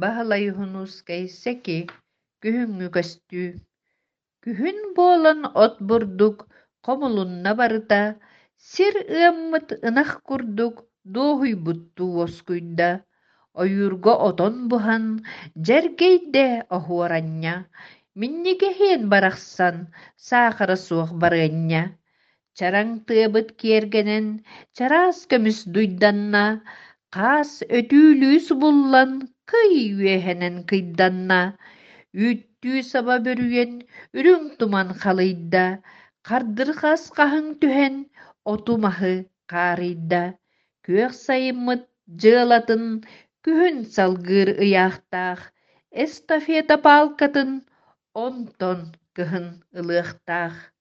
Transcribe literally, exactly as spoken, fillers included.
Баһылай Уһунуускай Сэки Күһүҥҥү көстүү Күһүн буолан от-бурдук хомулунна барыта, сир ыаммыт ынах курдук дуоһуйбуттуу уоскуйда, ойуурга отон буһан дьэргэйдэ оһуор анньа, минньигэһиэн барахсан, саахара суох барыанньа. Чараҥ тыабыт киэргэнэн, чараас көмүс дуйданна, хаас өтүүлүү субуллан, кый үөһэнэн кыйданна, үүттүү саба бүрүйэн, үрүҥ туман халыйда, хардырҕас хаһыҥ түһэн, оту-маһы хаарыйда. Күөх сайыммыт дьыалатын күһүн салгыыр ыйаахтаах, эстафета паалкатын онтон кыһын ылыахтаах.